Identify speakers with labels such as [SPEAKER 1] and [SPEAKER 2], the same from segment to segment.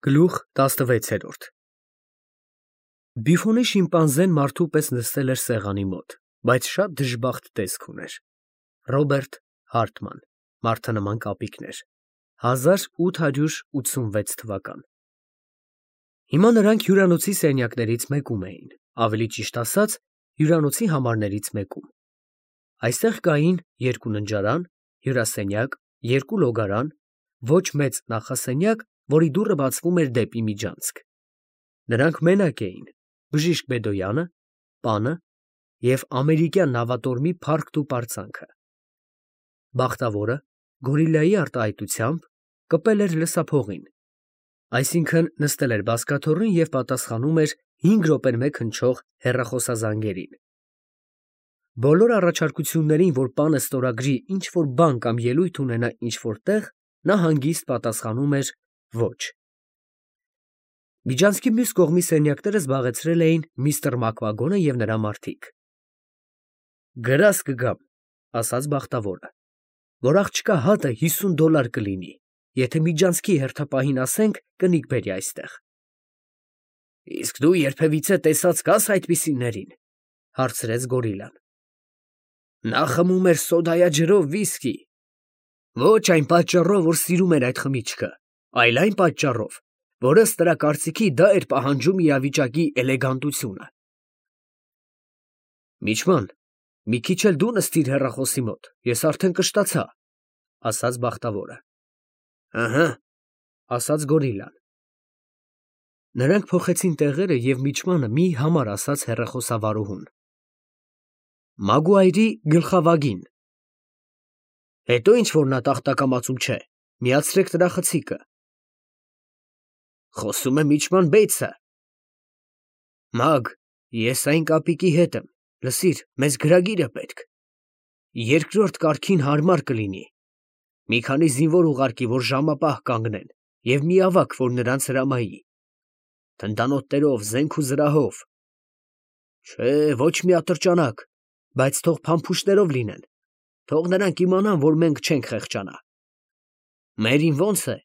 [SPEAKER 1] Գլուխ 16 Բիֆոնի շիմպանզեն մարդու պես նստել էր սեղանի մոտ, բայց շատ դժբախտ տեսք ուներ։ Ռոբերտ Հարթման, Մարդանման կապիկներ, 1886 թվական։ Հիմա նրանք հյուրանոցի սենյակներից մեկում էին, ավելի ճիշտ ասած, հյուրանոցի համարներից մեկում։ Այստեղ կային երկու ննջարան, հյուրասենյակ, երկու լոգարան, ոչ մեծ նախասենյակ, որի դուռը բացվում էր դեպի միջանցք։ Նրանք մենակ էին, Բժիշկ Բեդոյանը, պանը և ամերիկյան նավատորմի փառքն ու պարծանքը։ Բախտավորը գորիլլայի արտահայտությամբ կպել էր լսափողին, այսինքն նստել էր բազկաթոռին և պատասխանում էր 5 րոպեն մեկ հնչող հեռախոսազանգերին։ Բոլոր առաջարկություններին, որ պանը ստորագրի ինչ-որ բան կամ ելույթ ունենա ինչ-որ տեղ, նա հանգիստ պատասխանում էր ոչ։ Միջանցքի մյուս կողմի սենյակները զբաղեցրել էին միստր Մակվագոնը և նրա մարդիկ։ «Գրազ կգամ», ասաց բախտավորը, «որ աղջկա հատը $50 կլինի, եթե միջանցքի հերթապահին ասենք կնիկ բերի այստեղ»։ «Իսկ դու երբևիցե տեսած կաս այդպիսիներին», հարցրեց գորիլլան։ «Նա խմում էր սոդայաջրով վիսկի, ոչ այն պատճառով, որ սիրում էր այդ խմիչքը, այլ այն պատճառով, որ ըստ նրա կարծիքի դա էր պահանջում իրավիճակի էլեգանտությունը»։ «Միջման, մի քիչ էլ դու նստիր հեռախոսի մոտ, ես արդեն կշտացա», ասաց բախտավորը։ «Ըհը», ասաց գորիլլան։ Նրանք փոխեցին տեղերը և միջմանը մի համար ասաց հեռախոսավարուհուն. «Մագուայրի գլխավագին»։ Հետո ինչ-որ նա տախտակամածում չէ, միացրեք նրա խցիկը։ Խոսում է միջման Բեյցը։ Մագ, ես այն կապիկի հետ եմ, լսիր, մեզ գրագիր է պետք։ Երկրորդ կարգին հարմար կլինի։ Մի քանի զինվոր ուղարկի, որ ժամապահ կանգնեն, և մի ավագ, որ նրանց հրամայի։ Թնդանոթներով, զենք ու զրահով։ Չէ, ոչ մի ատրճանակ, բայց թող փամփուշտներով լինեն, թող նրանք իմանան, որ մենք չենք խեղճանա։ Մերին ո՞նց է։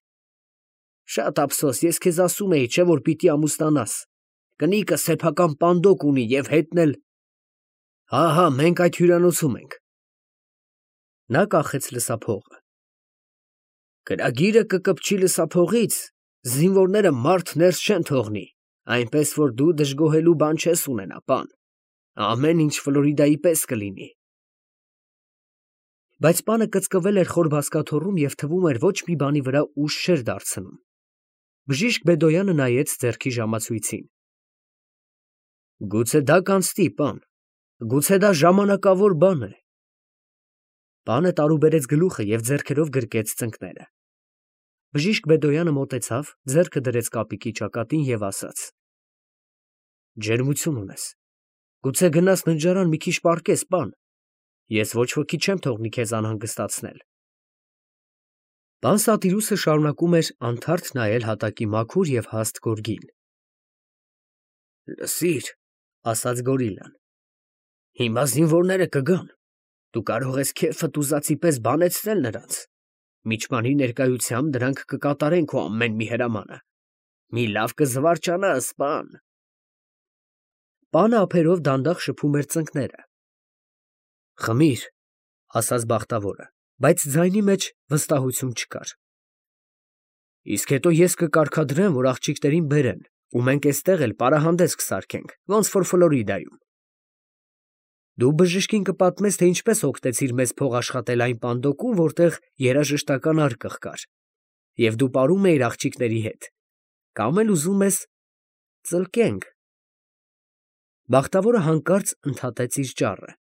[SPEAKER 1] Շատ ափսոս, ես քեզ ասում էի, չէ՞ որ պիտի ամուսնանաս։ Կնիկը սեփական պանդոկ ունի և հետն էլ։ Հա, մենք այդ հյուրանոցում ենք։ Նա կախեց լսափողը։ Գրագիրը կկպչի լսափողից, զինվորները մարդ ներս չեն թողնի, այնպես որ դու դժգոհելու բան չես ունենա, պան։ Ամեն ինչ Ֆլորիդայի պես կլինի։ Բայց պանը կծկվել էր խոր բազկաթոռում և թվում էր ոչ մի բանի վրա ուժ չէր դարձնում։ Բժիշկ Բեդոյանը նայեց ձեռքի ժամացույցին։ Գուցե դա կանցնի, պան, գուցե դա ժամանակավոր բան է։ Պանը տարուբերեց գլուխը և ձեռքերով գրկեց ծնկները։ Բժիշկ Բեդոյանը մոտեցավ, ձեռքը դրեց կապիկի ճակատին և ասաց. Ջերմություն ունես։ Գուցե գնաս ննջարան մի քիչ պառկես, պան։ Ես ոչ ոքի չեմ թողնի քեզ անհանգստացնել։ Պան Սատիրուսը շարունակում էր անթարթ նայել հատակի մաքուր և հաստ գորգին։ Լսիր, ասաց գորիլլան, հիմա զինվորները կգան։ Դու կարող ես քեֆդ ուզածի պես բանեցնել նրանց։ Միջմանի ներկայությամբ դրանք կկատարեն քո ամեն մի հրամանը։ Մի լավ կզվարճանաս, պան։ Պանը ափերով դանդաղ շփում էր ծնկները։ Խմիր, ասաց բախտավորը, բայց ձայնի մեջ վստահություն չկար։ Իսկ հետո ես կկարգադրեմ, որ աղջիկներին բերեն, ու մենք էստեղ էլ պարահանդես կսարքենք, ոնց որ Ֆլորիդայում։ Դու բժշկին կպատմես, թե ինչպես օգնեցիր մեզ փող աշխատել այն պանդոկում, որտեղ երաժշտական արկղ կար, և դու պարում էիր աղջիկների հետ, կամ էլ ուզում ես ծլկենք։ Բախտավորը հանկարծ ընդհատեց իր ճառը։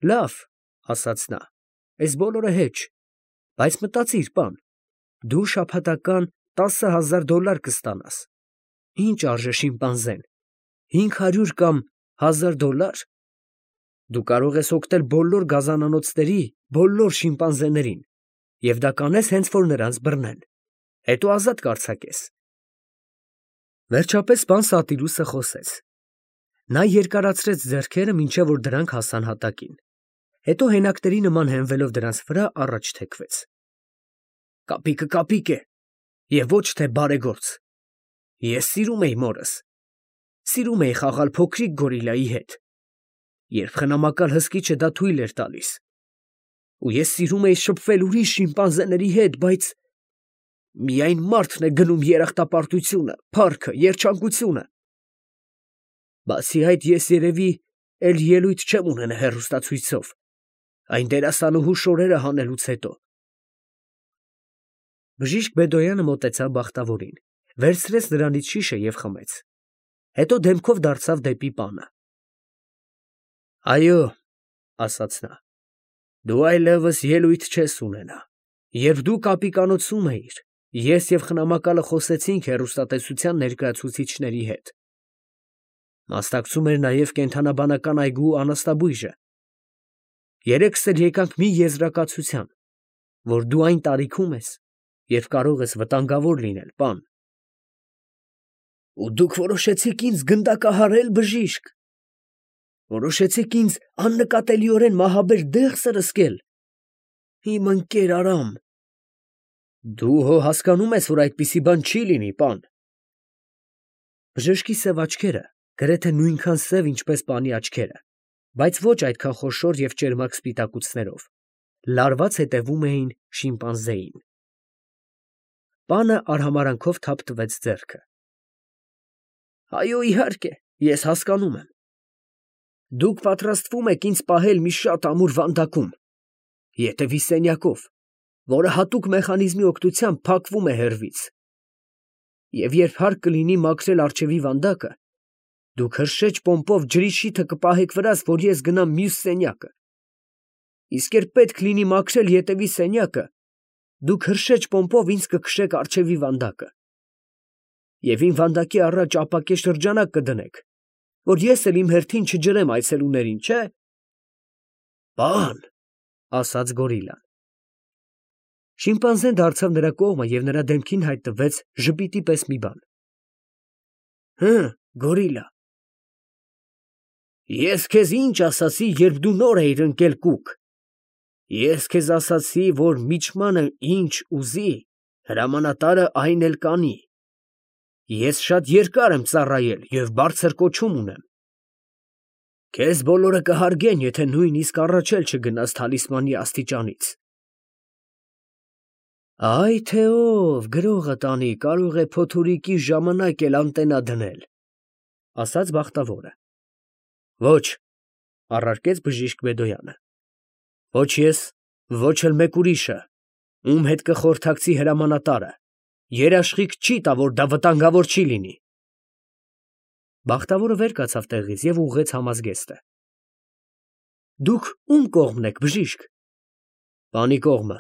[SPEAKER 1] Լավ, ասաց նա, այս բոլորը հեչ, բայց մտածիր, պան, դու շաբաթական $10,000 կստանաս։ Ինչ արժե շիմպանզեն, 500 կամ $1,000։ Դու կարող ես օգնել բոլոր գազանանոցների բոլոր շիմպանզեներին, և դա կանես հենց որ նրանց բռնեն, հետո ազատ կարձակես։ Վերջապես պան Սատիրուսը խոսեց։ Նա երկարացրեց ձեռքերը, մինչև որ դրանք հասան հատակին, հետո հենակների նման հենվելով դրանց վրա առաջ թեքվեց։ Կապիկը կապիկ է, Եվ ոչ թե բարեգործ։ Ես սիրում էի մորս։ Սիրում էի խաղալ փոքրիկ գորիլայի հետ, երբ խնամակալ հսկիչը դա թույլ էր տալիս։ Ու ես սիրում էի շփվել ուրիշ շիմպանզեների հետ, բայց միայն մարդն է գնում երախտապարտությունը, փառքը, երջանկությունը։ Բացի այդ, ես երևի էլ ելույթ չեմ ունենա հեռուստացույցով, այն դերասանուհու շորերը հանելուց հետո։ Բժիշկ Բեդոյանը մոտեցավ բախտավորին, վերցրեց նրանից շիշը և խմեց։ Հետո դեմքով դարձավ դեպի պանը։ Այո, ասաց նա, դու այլևս ելույթ չես ունենա։ Երբ դու կապիկանոցում էիր, ես և խնամակալը խոսեցինք հեռուստատեսության ներկայացուցիչների հետ։ Մասնակցում էր նաև կենդանաբանական այգու անասնաբույժը։ Երեքս էլ եկանք մի եզրակացության, որ դու այն տարիքում ես, երբ կարող ես վտանգավոր լինել, պան։ Ու դուք որոշեցիք ինձ գնդակահարել, բժիշկ։ Որոշեցիք ինձ աննկատելիորեն մահաբեր դեղ սրսկել։ Իմ ընկեր Արամ։ Դու հո հասկանում ես, որ այդպիսի բան չի լինի, պան։ Բժշկի սև աչքերը, գրեթե նույնքան սև, ինչպես պանի աչքերը, բայց ոչ այդքան խոշոր և ճերմակ սպիտակուցներով, լարված հետևում էին շիմպանզեին։ Պանը արհամարանքով թափ տվեց ձեռքը։ Այո, իհարկե, ես հասկանում եմ։ Դուք պատրաստվում եք ինձ պահել մի շատ ամուր վանդակում, ետևի սենյակով, որը հատուկ մեխանիզմի օգնությամբ փակվում է հեռվից։ Եվ երբ հարկ կլինի մաքրել առջևի վանդակը, դուք հրշեջ պոմպով ջրի շիթը կպահեք վրաս, որ ես գնամ մյուս սենյակը։ Իսկ երբ պետք լինի մաքրել ետևի սենյակը, դուք հրշեջ պոմպով ինձ կքշեք առջևի վանդակը։ Եվ իմ վանդակի առաջ ապակե շրջանակ կդնեք, որ ես էլ իմ հերթին չջրեմ այցելուներին, չէ՞։ Պան, ասաց գորիլան։ Շիմպանզեն դարձավ նրա կողմը և նրա դեմքին հայտնվեց ժպիտի պես մի բան։ Գորիլա։ Ես քեզ ինչ ասացի, երբ դու նոր էիր ընկել կուք։ Ես քեզ ասացի, որ միջմանը ինչ ուզի, հրամանատարը այն էլ կանի։ Ես շատ երկար եմ ծառայել և բարձր կոչում ունեմ։ Քեզ բոլորը կհարգեն, եթե նույնիսկ առաջ էլ չգնաս թալիսմանի աստիճանից։ Այ թե ով գրողը տանի, կարող է փոթորիկի ժամանակ էլ անտենա դնել, ասաց բախտավորը։ Ոչ, առարկեց բժիշկ Բեդոյանը։ Ոչ ես, ոչ էլ մեկ ուրիշը, ում հետ կխորհրդակցի հրամանատարը, երաշխիք չի տա, որ դա վտանգավոր չի լինի։ Բախտավորը վեր կացավ տեղից և ուղղեց համազգեստը։ Դուք ում կողմն եք, բժիշկ։ Պանի կողմը։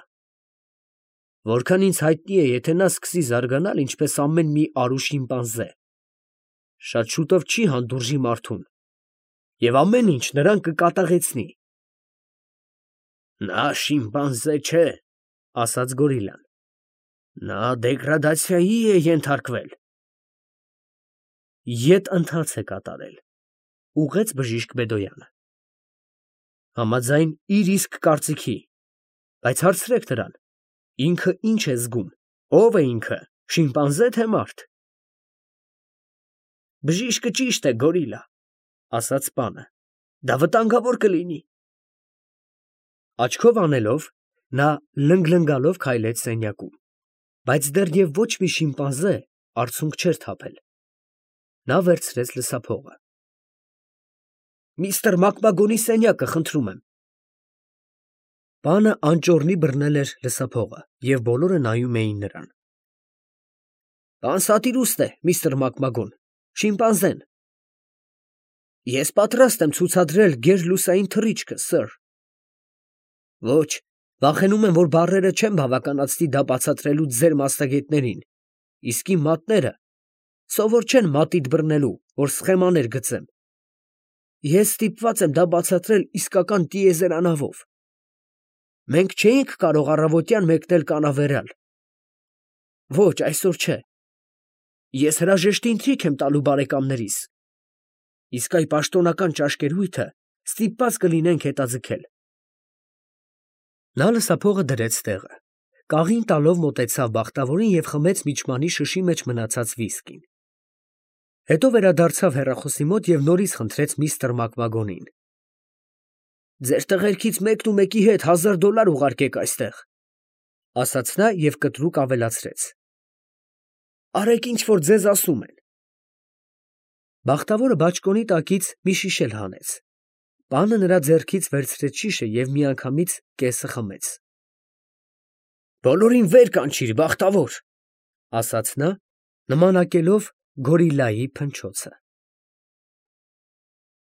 [SPEAKER 1] Որքան ինձ հայտնի է, եթե նա սկսի զարգանալ, ինչպես ամեն մի արու շիմպանզե, շատ շուտով չի հանդուրժի մարդուն, և ամեն ինչ նրան կկատաղեցնի։ Նա շիմպանզե չէ, ասաց գորիլան։ Նա դեգրադացիայի է ենթարկվել։ Ետ ընթաց է կատարել, ուղղեց բժիշկ Բեդոյանը։ Համաձայն իր իսկ կարծիքի, բայց հարցրեք նրան, ինքը ինչ է զգում, ով է ինքը, շիմպանզե թե մարդ։ Բժիշկը ճիշտ է, գորիլա, ասաց պանը, դա վտանգավոր կլինի։ Աչքով անելով, նա լնգլնգալով քայլեց սենյակում, բայց դեռև ոչ մի շիմպանզե արցունք չէր թափել։ Նա վերցրեց լսափողը։ Միստր Մակմագոնի սենյակը, խնդրում եմ։ Պանը անճոռնի բռնել էր լսափողը, և բոլորը նայում էին նրան։ Պան Սատիրուստ է, միստր Մակմագոն, շիմպանզեն։ Ես պատրաստ եմ ցուցադրել գերլուսային թռիչքը, սըր։ Ոչ, վախենում եմ, որ բառերը չեն բավականացնի դա բացատրելու ձեր մասնագետներին, իսկ իմ մատները սովոր չեն մատիտ բռնելու, որ սխեմաներ գծեմ։ Ես ստիպված եմ դա բացատրել իսկական տիեզերանավով։ Մենք չէինք կարող առավոտյան մեկնել կանավերալ։ Ոչ, այսօր չէ։ Ես հրաժեշտ ընթրիք եմ տալու բարեկամներիս։ Իսկ այ պաշտոնական ճաշկերույթը ստիպված կլինենք հետաձգել։ Նա լսափողը դրեց տեղը, կաղին տալով մոտեցավ բախտավորին և խմեց միջմանի շշի մեջ մնացած վիսկին։ Հետո վերադարձավ հեռախոսի մոտ և նորից խնդրեց միստր Մակվագոնին. «Ձեր տղերքից մեկն ու մեկի հետ $1000 ուղարկեք այստեղ», ֊ ասաց նա և կտրուկ ավելացրեց. «Արեք, ինչ որ ձեզ ասում են»։ Բախտավորը բաճկոնի տակից մի շիշ էլ հանեց։ Պանը նրա ձեռքից վերցրեց շիշը և միանգամից կեսը խմեց։ «Բոլորին վեր կանչիր, բախտավոր», ֊ ասաց նա, նմանակելով գորիլլայի փնչոցը։